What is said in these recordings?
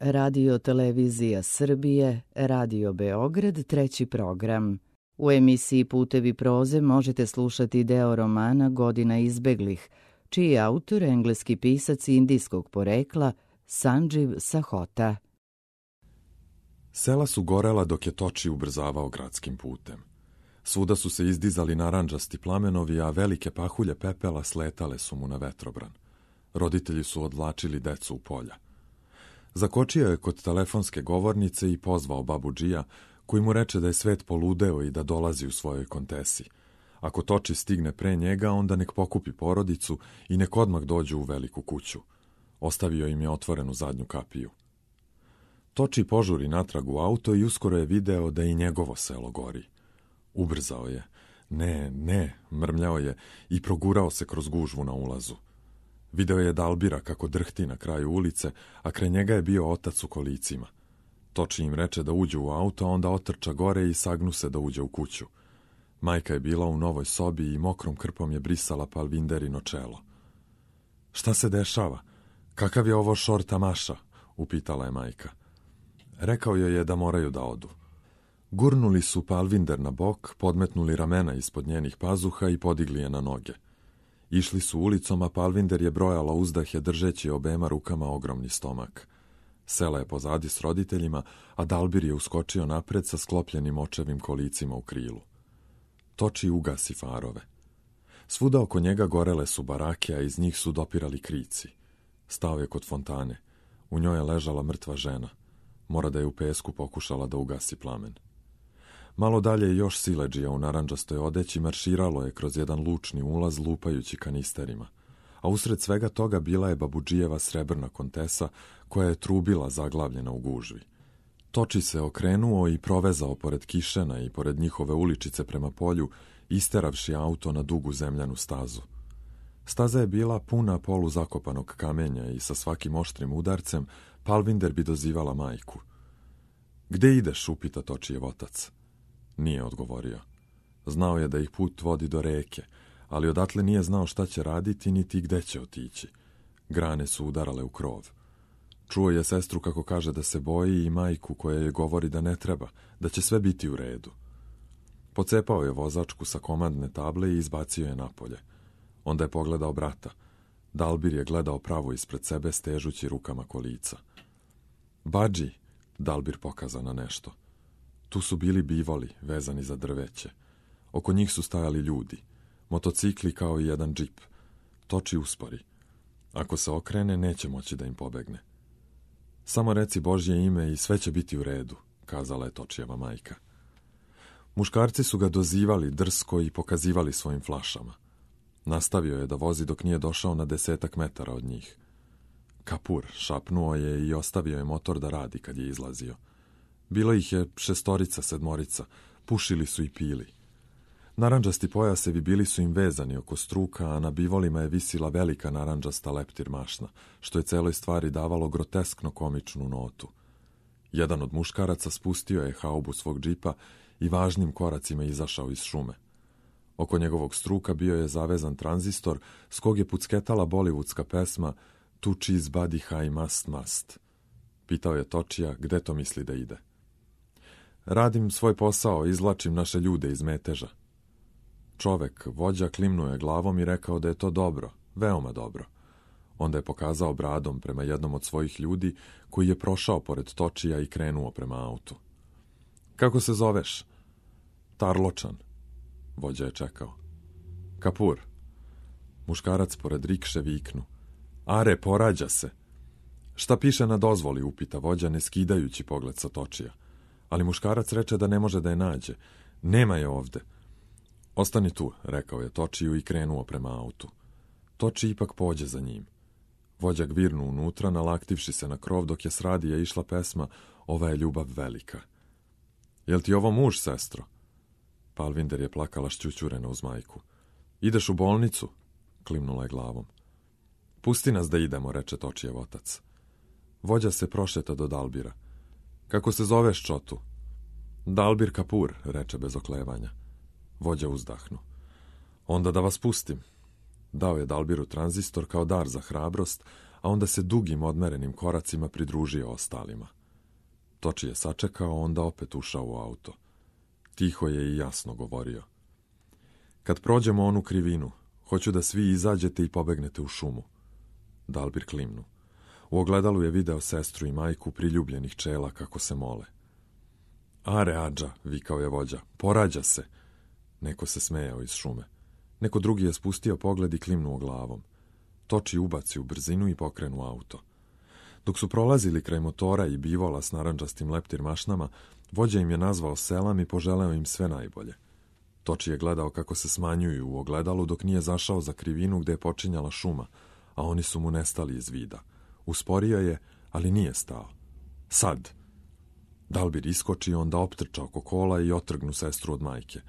Radio Televizija Srbije, Radio Beograd, treći program. U emisiji Putevi proze možete slušati deo romana Godina izbeglih, čiji je autor engleski pisac indijskog porekla Sanđiv Sahota. Sela su gorela dok je Toči ubrzavao gradskim putem. Svuda su se izdizali narandžasti plamenovi, a velike pahulje pepela sletale su mu na vetrobran. Roditelji su odvlačili decu u polja. Zakočio je kod telefonske govornice i pozvao babudžija, koji mu reče da je svet poludeo i da dolazi u svojoj kontesi. Ako Toči stigne pre njega, onda nek pokupi porodicu i nek odmah dođu u veliku kuću. Ostavio im je otvorenu zadnju kapiju. Toči požuri natrag u auto i uskoro je video da i njegovo selo gori. Ubrzao je. Ne, mrmljao je i progurao se kroz gužvu na ulazu. Video je Dalbira kako drhti na kraju ulice, a kraj njega je bio otac u kolicima. Toči im reče da uđu u auto, a onda otrča gore i sagnu se da uđe u kuću. Majka je bila u novoj sobi i mokrom krpom je brisala Palvinderino čelo. Šta se dešava? Kakav je ovo šor tamaša? Upitala je majka. Rekao joj je da moraju da odu. Gurnuli su Palvinder na bok, podmetnuli ramena ispod njenih pazuha i podigli je na noge. Išli su ulicom, a Palvinder je brojala uzdahe držeći obema rukama ogromni stomak. Sela je pozadi s roditeljima, a Dalbir je uskočio napred sa sklopljenim očevim kolicima u krilu. Toči ugasi farove. Svuda oko njega gorele su barake, a iz njih su dopirali krici. Stao je kod fontane. U njoj je ležala mrtva žena. Mora da je u pesku pokušala da ugasi plamen. Malo dalje još siledžija u narandžastoj odeći marširalo je kroz jedan lučni ulaz lupajući kanisterima, a usred svega toga bila je babudžijeva srebrna kontesa koja je trubila zaglavljena u gužvi. Toči se okrenuo i provezao pored Kišena i pored njihove uličice prema polju, isteravši auto na dugu zemljanu stazu. Staza je bila puna polu zakopanog kamenja i sa svakim oštrim udarcem Palvinder bi dozivala majku. Gde ideš? Upita Točijev otac. Nije odgovorio. Znao je da ih put vodi do reke, ali odatle nije znao šta će raditi niti gde će otići. Grane su udarale u krov. Čuo je sestru kako kaže da se boji i majku koja je govori da ne treba, da će sve biti u redu. Pocepao je vozačku sa komandne table i izbacio je napolje. Onda je pogledao brata. Dalbir je gledao pravo ispred sebe stežući rukama kolica. Badži, Dalbir pokazao na nešto. Tu su bili bivoli, vezani za drveće. Oko njih su stajali ljudi. Motocikli kao i jedan džip. Toči uspori. Ako se okrene, neće moći da im pobegne. Samo reci Božje ime i sve će biti u redu, kazala je Točijeva majka. Muškarci su ga dozivali drsko i pokazivali svojim flašama. Nastavio je da vozi dok nije došao na 10 metara od njih. Kapur, šapnuo je i ostavio je motor da radi kad je izlazio. Bilo ih je 6, 7, pušili su i pili. Narandžasti pojasevi bili su im vezani oko struka, a na bivolima je visila velika narandžasta leptir mašna, što je celoj stvari davalo groteskno komičnu notu. Jedan od muškaraca spustio je haubu svog džipa i važnim koracima izašao iz šume. Oko njegovog struka bio je zavezan tranzistor s kog je pucketala bolivudska pesma Tu cheese body high must. Pitao je Točija gde to misli da ide. Radim svoj posao, izvlačim naše ljude iz meteža. Čovek, vođa, klimnuo je glavom i rekao da je to dobro, veoma dobro. Onda je pokazao bradom prema jednom od svojih ljudi koji je prošao pored Točija i krenuo prema autu. Kako se zoveš? Tarločan. Vođa je čekao. Kapur. Muškarac pored rikše viknu. Are, porađa se. Šta piše na dozvoli, upita vođa, ne skidajući pogled sa Točija. Ali muškarac reče da ne može da je nađe. Nema je ovde. Ostani tu, rekao je Točiju i krenuo prema autu. Toči ipak pođe za njim. Vođa gvirnu unutra, nalaktivši se na krov dok je s radija išla pesma Ova je ljubav velika. Jel ti ovo muž, sestro? Palvinder je plakala šćućurena uz majku. Ideš u bolnicu? Klimnula je glavom. Pusti nas da idemo, reče Točijev otac. Vođa se prošeta do Dalbira. Kako se zoveš, čotu? Dalbir Kapur, reče bez oklevanja. Vođa uzdahnu. Onda da vas pustim. Dao je Dalbiru tranzistor kao dar za hrabrost, a onda se dugim odmerenim koracima pridružio ostalima. Toči je sačekao, onda opet ušao u auto. Tiho je i jasno govorio. Kad prođemo onu krivinu, hoću da svi izađete i pobegnete u šumu. Dalbir klimnu. U ogledalu je video sestru i majku priljubljenih čela kako se mole. Are, Adža, vikao je vođa, porađa se. Neko se smejao iz šume. Neko drugi je spustio pogled i klimnuo glavom. Toči ubaci u brzinu i pokrenu auto. Dok su prolazili kraj motora i bivola s narandžastim leptir mašnama, vođa im je nazvao selam i poželeo im sve najbolje. Toči je gledao kako se smanjuju u ogledalu dok nije zašao za krivinu gde je počinjala šuma, a oni su mu nestali iz vida. Usporio je, ali nije stao. Sad! Dalbir iskoči, onda optrča oko kola i otrgnu sestru od majke.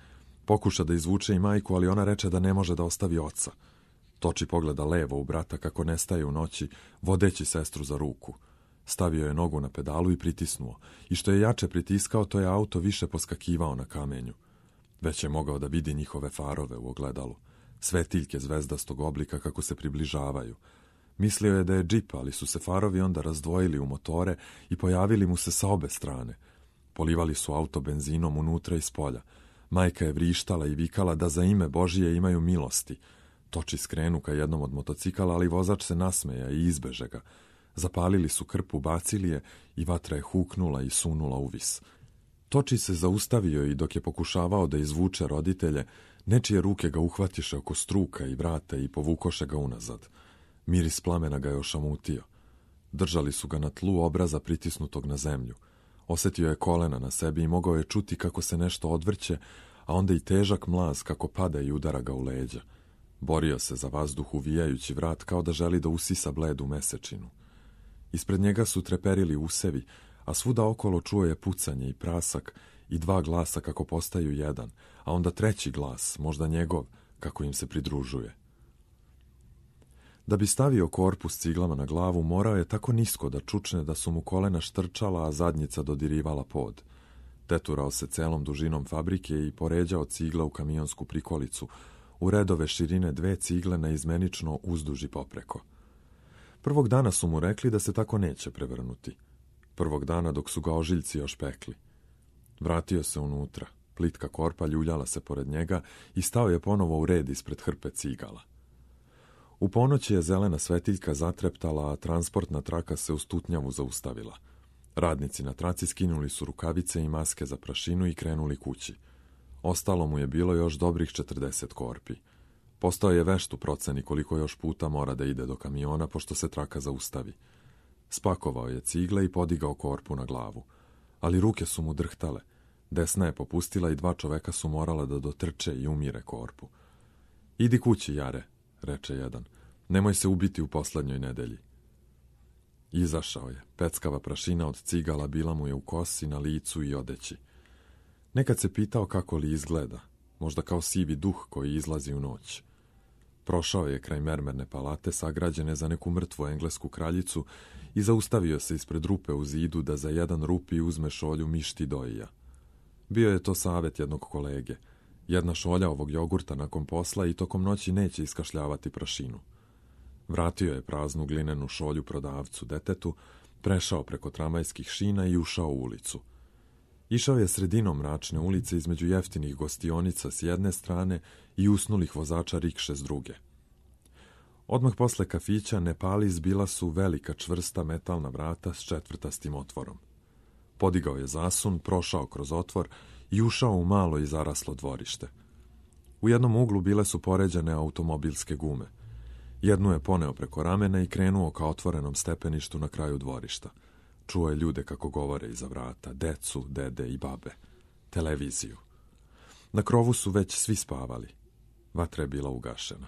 Pokuša da izvuče i majku, ali ona reče da ne može da ostavi oca. Toči pogleda levo u brata kako nestaje u noći, vodeći sestru za ruku. Stavio je nogu na pedalu i pritisnuo. I što je jače pritiskao, to je auto više poskakivao na kamenju. Već je mogao da vidi njihove farove u ogledalu. Svetiljke zvezdastog oblika kako se približavaju. Mislio je da je džip, ali su se farovi onda razdvojili u motore i pojavili mu se sa obe strane. Polivali su auto benzinom unutra i spolja. Majka je vrištala i vikala da za ime Božije imaju milosti. Toči skrenu ka jednom od motocikala, ali vozač se nasmeja i izbeže ga. Zapalili su krpu, bacili je i vatra je huknula i sunula uvis. Toči se zaustavio i dok je pokušavao da izvuče roditelje, nečije ruke ga uhvatiše oko struka i vrata i povukoše ga unazad. Miris plamena ga je ošamutio. Držali su ga na tlu, obraza pritisnutog na zemlju. Osetio je kolena na sebi i mogao je čuti kako se nešto odvrće, a onda i težak mlaz kako pada i udara ga u leđa. Borio se za vazduh uvijajući vrat kao da želi da usisa bledu mesečinu. Ispred njega su treperili usevi, a svuda okolo čuo je pucanje i prasak i dva glasa kako postaju jedan, a onda treći glas, možda njegov, kako im se pridružuje. Da bi stavio korpus ciglama na glavu, morao je tako nisko da čučne da su mu kolena štrčala, a zadnjica dodirivala pod. Teturao se celom dužinom fabrike i poređao cigla u kamionsku prikolicu, u redove širine 2 cigle naizmenično uzduž i popreko. Prvog dana su mu rekli da se tako neće prevrnuti. Prvog dana dok su ga ožiljci još pekli. Vratio se unutra, plitka korpa ljuljala se pored njega i stao je ponovo u red ispred hrpe cigala. U ponoć je zelena svetiljka zatreptala, a transportna traka se u stutnjavu zaustavila. Radnici na traci skinuli su rukavice i maske za prašinu i krenuli kući. Ostalo mu je bilo još dobrih 40 korpi. Postao je vešt u proceni koliko još puta mora da ide do kamiona, pošto se traka zaustavi. Spakovao je cigle i podigao korpu na glavu. Ali ruke su mu drhtale. Desna je popustila i 2 čoveka su morala da dotrče i umire korpu. Idi kući, Jare, reče jedan. Nemoj se ubiti u poslednjoj nedelji. Izašao je. Peckava prašina od cigala bila mu je u kosi, na licu i odeći. Nekad se pitao kako li izgleda, možda kao sivi duh koji izlazi u noć. Prošao je kraj mermerne palate sagrađene za neku mrtvu englesku kraljicu i zaustavio se ispred rupe u zidu da za jedan rupi uzme šolju mišti dojija. Bio je to savet jednog kolege. Jedna šolja ovog jogurta nakon posla i tokom noći neće iskašljavati prašinu. Vratio je praznu glinenu šolju prodavcu detetu, prešao preko tramvajskih šina i ušao u ulicu. Išao je sredinom mračne ulice između jeftinih gostionicama s jedne strane i usnulih vozača rikše s druge. Odmah posle kafića Nepali zbila su velika čvrsta metalna vrata s četvrtastim otvorom. Podigao je zasun, prošao kroz otvor i ušao u malo i zaraslo dvorište. U jednom uglu bile su poređane automobilske gume. Jednu je poneo preko ramena i krenuo ka otvorenom stepeništu na kraju dvorišta. Čuo je ljude kako govore iza vrata, decu, dede i babe, televiziju. Na krovu su već svi spavali. Vatra je bila ugašena.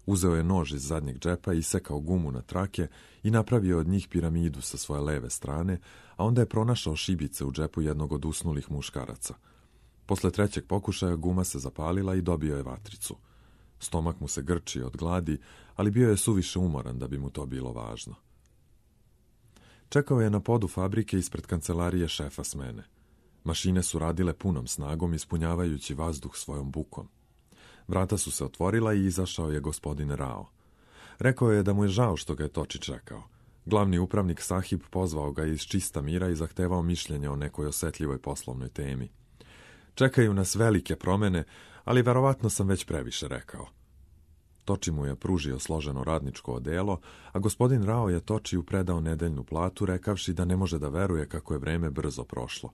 Uzeo je nož iz zadnjeg džepa, isekao gumu na trake i napravio od njih piramidu sa svoje leve strane, a onda je pronašao šibice u džepu jednog od usnulih muškaraca. Posle 3. pokušaja guma se zapalila i dobio je vatricu. Stomak mu se grčio od gladi, ali bio je suviše umoran da bi mu to bilo važno. Čekao je na podu fabrike ispred kancelarije šefa smene. Mašine su radile punom snagom, ispunjavajući vazduh svojom bukom. Vrata su se otvorila i izašao je gospodin Rao. Rekao je da mu je žao što ga je Toči čekao. Glavni upravnik Sahib pozvao ga iz čista mira i zahtevao mišljenje o nekoj osjetljivoj poslovnoj temi. Čekaju nas velike promjene, ali verovatno sam već previše rekao. Toči mu je pružio složeno radničko odelo, a gospodin Rao je Točiju predao nedeljnu platu, rekavši da ne može da veruje kako je vreme brzo prošlo.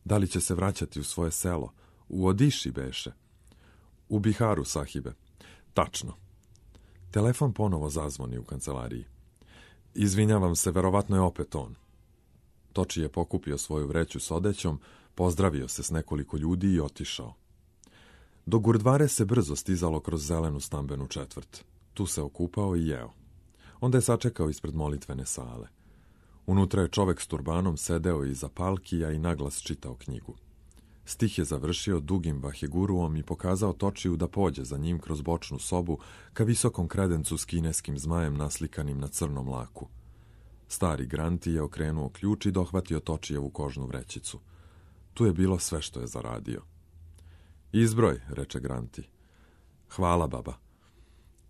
Da li će se vraćati u svoje selo? U Odiši beše. U Biharu, sahibe. Tačno. Telefon ponovo zazvoni u kancelariji. Izvinjavam se, verovatno je opet on. Toči je pokupio svoju vreću s odećom, pozdravio se s nekoliko ljudi i otišao. Do Gurdvare se brzo stizalo kroz zelenu stambenu četvrt. Tu se okupao i jeo. Onda je sačekao ispred molitvene sale. Unutra je čovek s turbanom sedeo iza palkija i naglas čitao knjigu. Stih je završio dugim vahiguruom i pokazao Točiju da pođe za njim kroz bočnu sobu ka visokom kredencu s kineskim zmajem naslikanim na crnom laku. Stari Granti je okrenuo ključ i dohvatio Točijevu kožnu vrećicu. Tu je bilo sve što je zaradio. Izbroj, reče Granti. Hvala, baba.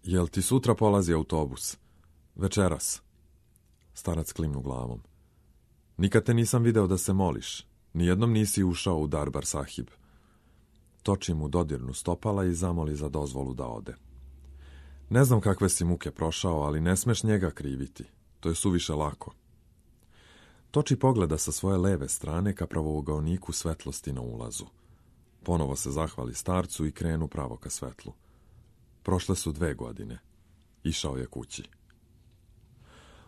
Jel ti sutra polazi autobus? Večeras. Starac klimnu glavom. Nikad te nisam video da se moliš. Nijednom nisi ušao u Darbar Sahib. Toči mu dodirnu stopala i zamoli za dozvolu da ode. Ne znam kakve si muke prošao, ali ne smeš njega kriviti. To je suviše lako. Toči pogleda sa svoje leve strane ka pravougaoniku svetlosti na ulazu. Ponovo se zahvali starcu i krenu pravo ka svetlu. Prošle su 2 godine. Išao je kući.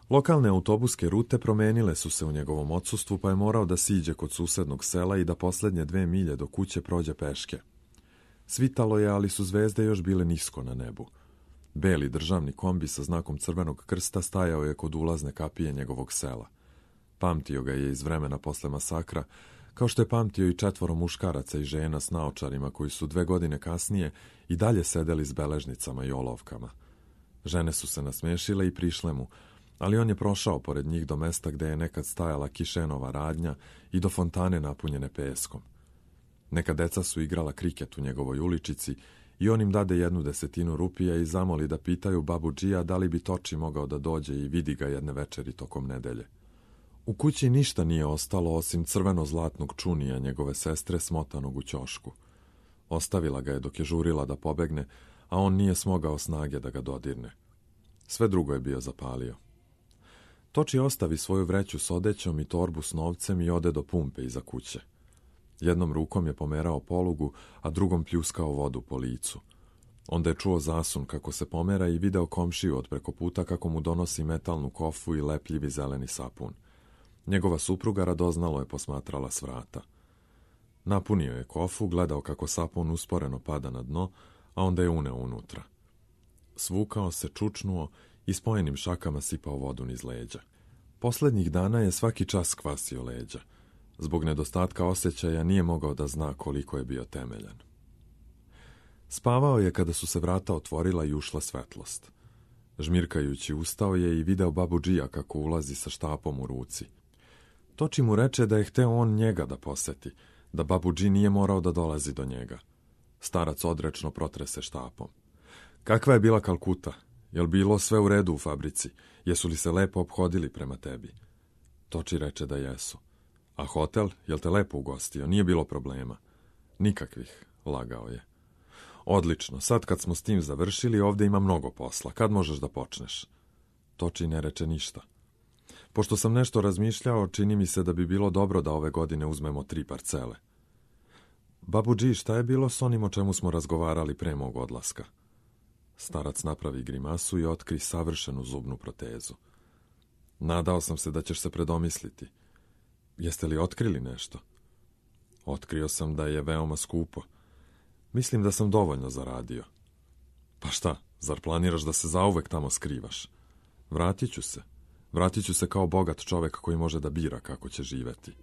Lokalne autobuske rute promenile su se u njegovom odsustvu, pa je morao da siđe kod susednog sela i da posljednje 2 milje do kuće prođe peške. Svitalo je, ali su zvezde još bile nisko na nebu. Beli državni kombi sa znakom Crvenog krsta stajao je kod ulazne kapije njegovog sela. Pamtio ga je iz vremena posle masakra, kao što je pamtio i 4 muškaraca i žena s naočarima koji su 2 godine kasnije i dalje sedeli s beležnicama i olovkama. Žene su se nasmešile i prišle mu, ali on je prošao pored njih do mesta gde je nekad stajala kišenova radnja i do fontane napunjene peskom. Neka deca su igrala kriket u njegovoj uličici i on im dade 1/10 rupija i zamoli da pitaju babudžija da li bi Toči mogao da dođe i vidi ga jedne večeri tokom nedelje. U kući ništa nije ostalo osim crveno-zlatnog čunija njegove sestre smotanog u ćošku. Ostavila ga je dok je žurila da pobegne, a on nije smogao snage da ga dodirne. Sve drugo je bio zapalio. Toči ostavi svoju vreću s odećom i torbu s novcem i ode do pumpe iza kuće. Jednom rukom je pomerao polugu, a drugom pljuskao vodu po licu. Onda je čuo zasun kako se pomera i video komšiju od preko puta kako mu donosi metalnu kofu i lepljivi zeleni sapun. Njegova supruga radoznalo je posmatrala s vrata. Napunio je kofu, gledao kako sapun usporeno pada na dno, a onda je uneo unutra. Svukao se, čučnuo i spojenim šakama sipao vodu niz leđa. Poslednjih dana je svaki čas kvasio leđa. Zbog nedostatka osjećaja nije mogao da zna koliko je bio temeljan. Spavao je kada su se vrata otvorila i ušla svetlost. Žmirkajući ustao je i video babudžija kako ulazi sa štapom u ruci. Toči mu reče da je hteo on njega da poseti, da babudži nije morao da dolazi do njega. Starac odrečno protrese štapom. Kakva je bila Kalkuta? Jel bilo sve u redu u fabrici? Jesu li se lepo ophodili prema tebi? Toči reče da jesu. A hotel, jel te lepo ugostio? Nije bilo problema. Nikakvih, lagao je. Odlično, sad kad smo s tim završili, ovdje ima mnogo posla. Kad možeš da počneš? Toči ne reče ništa. Pošto sam nešto razmišljao, čini mi se da bi bilo dobro da ove godine uzmemo 3 parcele. Babudži, šta je bilo s onim o čemu smo razgovarali pre mog odlaska? Starac napravi grimasu i otkri savršenu zubnu protezu. Nadao sam se da ćeš se predomisliti. Jeste li otkrili nešto? Otkrio sam da je veoma skupo. Mislim da sam dovoljno zaradio. Pa šta, zar planiraš da se zauvek tamo skrivaš? Vratit ću se. Vratit ću se kao bogat čovek koji može da bira kako će živeti.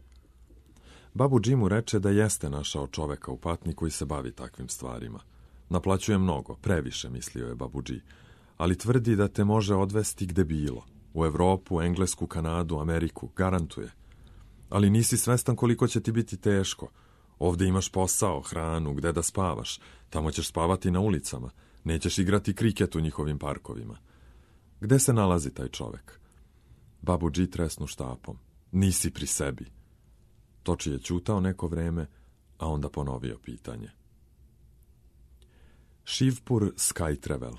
Babudži mu reče da jeste našao čoveka u Patni koji se bavi takvim stvarima. Naplaćuje mnogo, previše, mislio je babudži, ali tvrdi da te može odvesti gde bilo. U Evropu, Englesku, Kanadu, Ameriku, garantuje. Ali nisi svestan koliko će ti biti teško. Ovdje imaš posao, hranu, gde da spavaš. Tamo ćeš spavati na ulicama. Nećeš igrati kriket u njihovim parkovima. Gde se nalazi taj čovek? Babuđi tresnu štapom. Nisi pri sebi. Toči je ćutao neko vreme, a onda ponovio pitanje. Shivpur Sky Travel.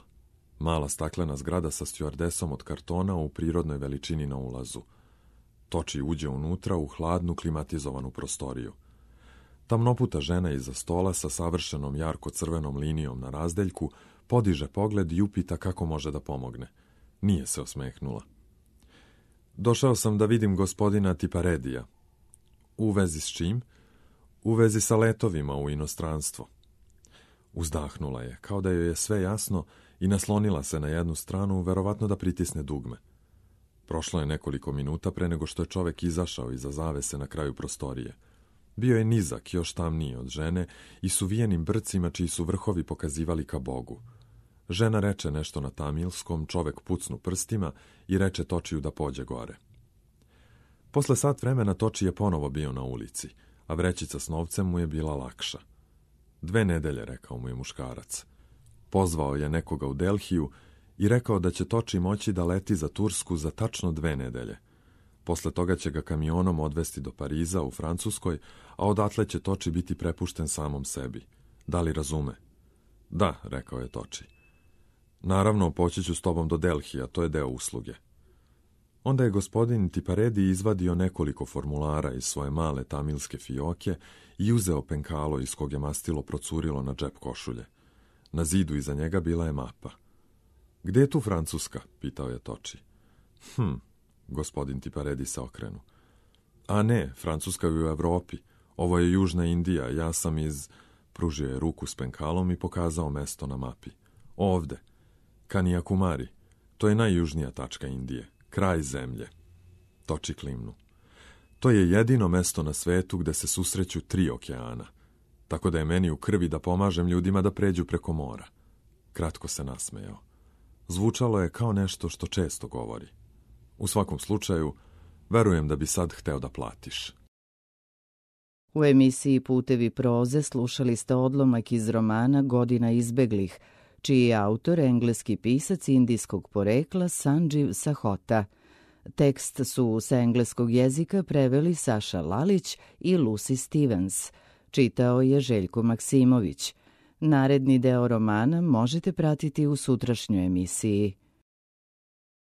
Mala staklena zgrada sa stjuardesom od kartona u prirodnoj veličini na ulazu. Toči uđe unutra u hladnu klimatizovanu prostoriju. Tamnoputa žena iza stola sa savršenom jarko-crvenom linijom na razdeljku podiže pogled i upita kako može da pomogne. Nije se osmehnula. Došao sam da vidim gospodina Tiparedija. U vezi s čim? U vezi sa letovima u inostranstvo. Uzdahnula je, kao da joj je sve jasno, i naslonila se na jednu stranu, verovatno da pritisne dugme. Prošlo je nekoliko minuta pre nego što je čovek izašao iza zavese na kraju prostorije. Bio je nizak, još tamniji od žene i s uvijenim brcima čiji su vrhovi pokazivali ka Bogu. Žena reče nešto na tamilskom, čovek pucnu prstima i reče Točiju da pođe gore. Posle sat vremena Toči je ponovo bio na ulici, a vrećica s novcem mu je bila lakša. 2 nedelje, rekao mu je muškarac. Pozvao je nekoga u Delhiju i rekao da će Toči moći da leti za Tursku za tačno 2 nedelje. Posle toga će ga kamionom odvesti do Pariza u Francuskoj, a odatle će Toči biti prepušten samom sebi. Da li razume? Da, rekao je Toči. Naravno, poći ću s tobom do Delhija, to je deo usluge. Onda je gospodin Tiparedi izvadio nekoliko formulara iz svoje male tamilske fioke i uzeo penkalo iz kog je mastilo procurilo na džep košulje. Na zidu iza njega bila je mapa. Gde je tu Francuska? Pitao je Toči. Gospodin Tiparedi se okrenu. A ne, Francuska je u Evropi. Ovo je Južna Indija, ja sam iz... Pružio je ruku s penkalom i pokazao mesto na mapi. Ovde. Kanyakumari. To je najjužnija tačka Indije. Kraj zemlje. Toči klimnu. To je jedino mesto na svetu gde se susreću 3 okeana. Tako da je meni u krvi da pomažem ljudima da pređu preko mora. Kratko se nasmejao. Zvučalo je kao nešto što često govori. U svakom slučaju, verujem da bi sad hteo da platiš. U emisiji Putevi proze slušali ste odlomak iz romana Godina izbeglih, čiji je autor engleski pisac indijskog porekla Sanđiv Sahota. Tekst su sa engleskog jezika preveli Saša Lalić i Lucy Stevens. Čitao je Željko Maksimović. Naredni deo romana možete pratiti u sutrašnjoj emisiji.